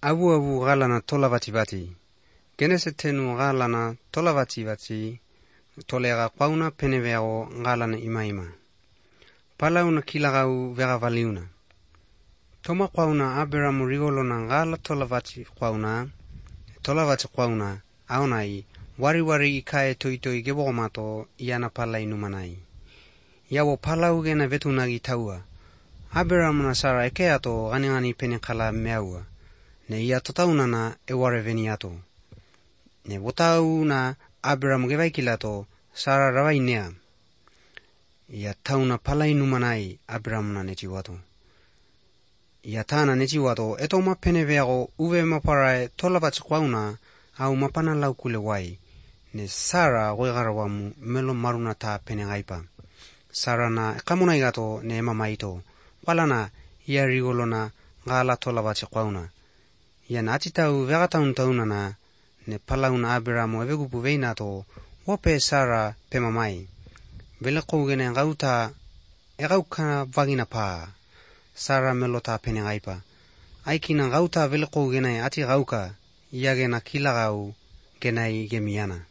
Abu galana tolavati. Genesetenu galana tolavati. Tolega qauna peneveo galana imaima. Palauna kilagau vega valiuna. Toma qauna Abraham rigolona gala tolavati qauna aonai wari ikae toitoi gebogomato iana palai numanai. Yawo palau gena vetunagi taua. Abraham na Sara ekeato gani penekala meaua. Ne ia totaunana eware veniato. Ne wotau na Abraham gewaikilato Sara rawainea. Ia tauna palai numanai Abraham na netiwato. Ia tana netiwato etoma peneveago uve maparae tolavati qauna au mapana laukule wai. Ne Sara goigarawamu melo maruna ta penegaipa. Sara na ekamunaigato ne emamaito. Walana ia rigolona gala tolavati qauna. Ia na atitau vegatauntaunana ne palauna Abraham evegupu veinato wope Sara pemamai. Velekougene gauta egauka vagina pa. Sara melota penegaipa. Aikina gauta velekougene ati gauka iagena kilagau genai gemiana.